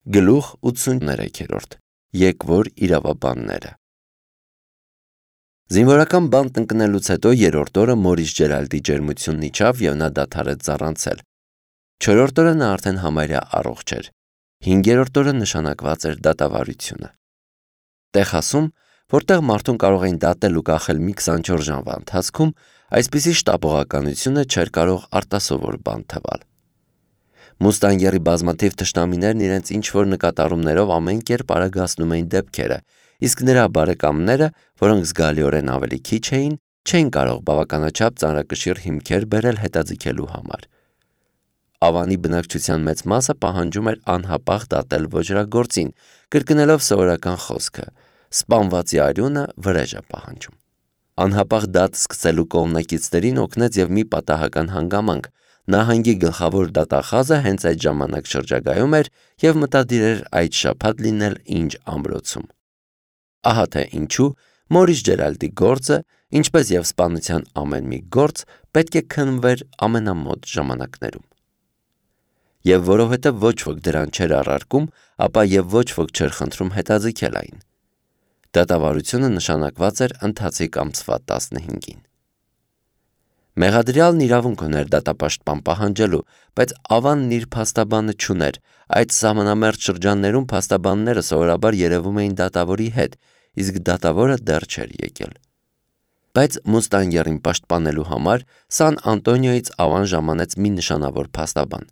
Գլուխ 83 Եկվոր իրավաբանները Զինվորական բանտ ընկնելուց հետո երրորդ օրը Մորիս Ջերալդի ջերմությունն իջավ և նա դադարեց զառանցել։ Չորրորդ օրը նա արդեն համարյա առողջ էր։ Հինգերորդ օրը նշանակված էր դատավարությունը։ Տեխասում, որտեղ մարդուն կարող էին դատել ու կախել մի 24 ժամվա ընթացքում, այսպիսի շտապողականությունը չէր կարող արտասովոր բան թվալ։ Մուստանգերի բազմաթիվ թշնամիներն իրենց ինչ-որ նկատառումներով ամեն կերպ արագացնում էին դեպքերը, իսկ նրա բարեկամները, որոնք զգալիորեն ավելի քիչ էին, չէին կարող բավականաչափ ծանրակշիռ հիմքեր բերել հետաձգելու համար։ Ավանի բնակչության մեծ մասը պահանջում էր անհապաղ դատել ոճրագործին, կրկնելով սովորական խոսքը. սպանվածի արյունը վրեժ է պահանջում։ Անհապաղ դատ սկսելու կողմնակիցներին օգնեց և մի պատահական հանգամանք։ Նահանգի գլխավոր դատախազը հենց այդ ժամանակ շրջագայում էր և մտադիր էր այդ շաբաթ լինել Ինջ ամրոցում։ Ահա թե ինչու Մորիս Ջերալդի գործը, ինչպես և սպանության ամեն մի գործ, պետք է քննվեր ամենամոտ ժամանակներում։ Եվ որովհետև ոչ ոք դրան չէր առարկում, ապա և ոչ ոք չէր խնդրում հետաձգել այն։ Դատավարությունը նշանակված էր ընթացիկ ամսվա 15-ին։ Մեղադրյալն իրավունք ուներ դատապաշտպան պահանջելու, բայց Ավանն իր փաստաբանը չուներ։ Այդ սահմանամերձ շրջաններում փաստաբանները սովորաբար երևում էին դատավորի հետ, իսկ դատավորը դեռ չէր եկել։ Բայց Մուստանգերին պաշտպանելու համար Սան Անտոնիոյից Ավան ժամանեց մի նշանավոր փաստաբան։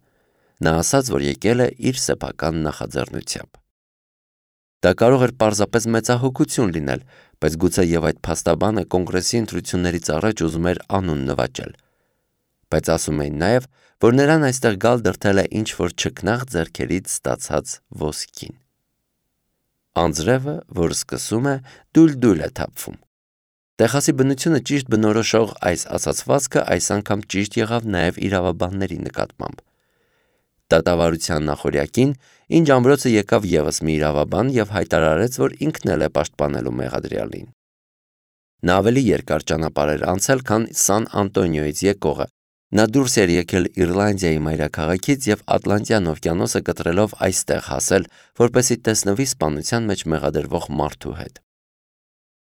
Նա ասաց, որ եկել է իր սեփական նախաձեռնությամբ։ Դա կարող էր պարզապես մեծահոգություն լինել, բայց գուցե և այդ փաստաբանը կոնգրեսի ընտրություններից առաջ ուզում էր անուն նվաճել։ Բայց ասում էին նաև, որ նրան այստեղ գալ դրդել է ինչ-որ չքնաղ ձեռքերից ստացած ոսկին։ Անձրևը, որ սկսում է, դուլ-դուլ է թափվում։ Տեխասի բնությունը ճիշտ բնորոշող այս ասացվածքը այս անգամ ճիշտ եղավ նաև իրավաբանների նկատմամբ։ Դատավարության նախօրյակին Ինջ ամրոցը եկավ ևս մի իրավաբան և հայտարարեց, որ ինքն էլ է պաշտպանելու մեղադրյալին։ Նա ավելի երկար ճանապարհ էր անցել, քան Սան Անտոնիոյից եկողը։ Նա դուրս էր եկել Իռլանդիայի մայրաքաղաքից և Ատլանտյան օվկիանոսը կտրելով այստեղ հասել, որպեսզի տեսնվի սպանության մեջ մեղադրվող մարդու հետ։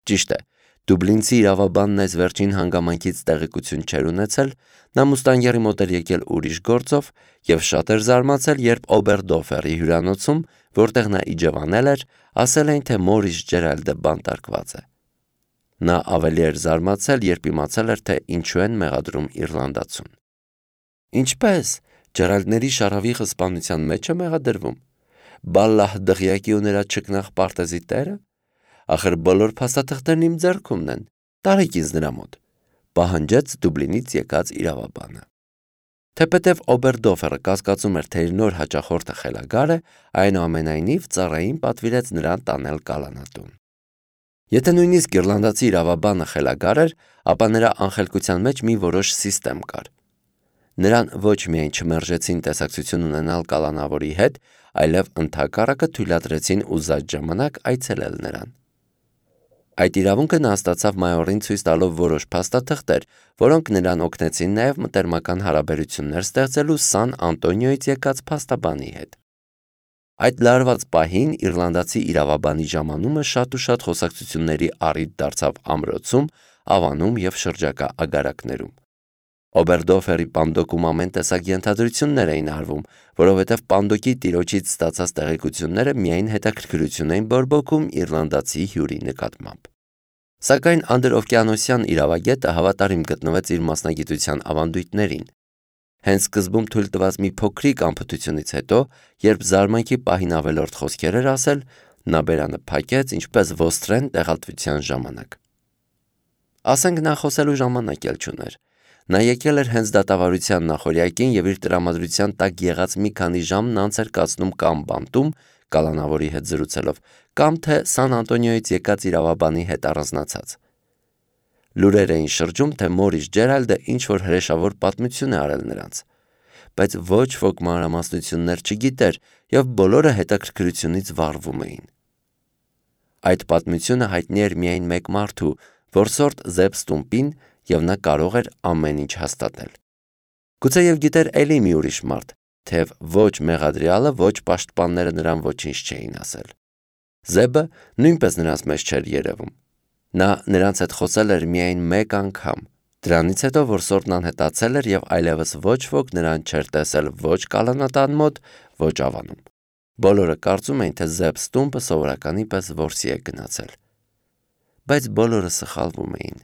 Ճիշտ է, դուբլինցի իրավաբանն այս վերջին հանգամանքից տեղեկություն չէր ունեցել, նա Մուստանգերի մոտ էր եկել ուրիշ գործով և շատ էր զարմացել, երբ Օբերդոֆերի հյուրանոցում, որտեղ նա իջևանել էր, ասել էին, թե Մորիս Ջերալդը բանտարկված է։ Նա ավելի էր զարմացել, երբ իմացել էր, թե ինչու են մեղադրում իռլանդացուն։ Ինչպե՞ս, Ջերալդների շարավիղը սպանության մեջ է մեղադրվում։ Բալլահ դղյակի ու նրա չքնաղ պարտեզի տերը։ Ախր բոլոր փաստաթղթերն իմ ձեռքումն են, տարեք ինձ նրա մոտ, պահանջեց Դուբլինից եկած իրավաբանը։ Թեպետև Օբերդոֆերը կասկածում էր, թե իր նոր հաճախորդը խելագար է, այնուամենայնիվ ծառային պատվիրեց նրան տանել կալանատուն։ Եթե նույնիսկ իռլանդացի իրավաբանը խելագար էր, ապա նրա անխելքության մեջ մի որոշ սիստեմ կար։ Նրան ոչ միայն չմերժեցին տեսակցություն ունենալ կալանավորի հետ, այլև ընդհակառակը թույլատրեցին ուզած ժամանակ այցելել նրան։ Այդ իրավունքը նա ստացավ մայորին ցույց տալով որոշ փաստաթղթեր, որոնք նրան օգնեցին նաև մտերմական հարաբերություններ ստեղծելու Սան Անտոնիոյից եկած փաստաբանի հետ։ Այդ լարված պահին իռլանդացի իրավաբանի ժամանումը շատ ու շատ խոսակցությունների առիթ դարձավ ամրոցում, Ավանում և շրջակա ագարակներում։ Օբերդոֆերի պանդոկում ամեն տեսակ ենթադրություններ էին արվում, որովհետև պանդոկի տիրոջից ստացած տեղեկությունները միայն հետաքրքրություն էին բորբոքում իռլանդացի հյուրի նկատմամբ։ Սակայն անդրօվկիանոսյան իրավագետը հավատարիմ գտնվեց իր մասնագիտության ավանդույթներին։ Հենց սկզբում թույլ տված մի փոքրիկ անփութությունից հետո, երբ զարմանքի պահին ավելորդ խոսքեր էր ասել, նա բերանը փակեց, ինչպես ոստրեն տեղատվության ժամանակ։ Ասենք նա խոսելու ժամանակ էլ չուներ։ Նա եկել էր հենց դատավարության նախօրյակին և իր տրամադրության տակ եղած մի քանի ժամն անց էր կացնում կամ բանտում, կալանավորի հետ զրուցելով, կամ թե Սան Անտոնիոյից եկած իրավաբանի հետ առանձնացած։ Լուրեր էին շրջում, թե Մորիս Ջերալդը ինչ-որ հրեշավոր պատմություն է արել նրանց, բայց ոչ ոք մանրամասնություններ չգիտեր և բոլորը հետաքրքրությունից վառվում էին։ Այդ պատմությունը հայտնի էր միայն մեկ մարդու, որսորդ Զեբ Ստումպին, և նա կարող էր ամեն ինչ հաստատել։ Գուցե և գիտեր էլի մի ուրիշ մարդ, թեև ոչ մեղադրյալը, ոչ պաշտպանները նրան ոչինչ չէին ասել։ Զեբը նույնպես նրանց մեջ չէր երևում։ Նա նրանց հետ խոսել էր միայն մեկ անգամ, դրանից հետո, որ Սորն անհետացել էր և այլևս ոչ ոք նրան չէր տեսել ոչ կալանատան մոտ, ոչ ավանում։ Բոլորը կարծում էին, թե Զեբ Ստումպը սովորականի պես որսի է գնացել։ Բայց բոլորը սխալվում էին։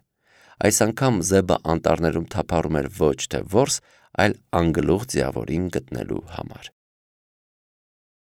Այս անգամ Զեբը անտառներում թափառում էր ոչ թե որս, այլ անգլուխ ձիավորին գտնելու համար։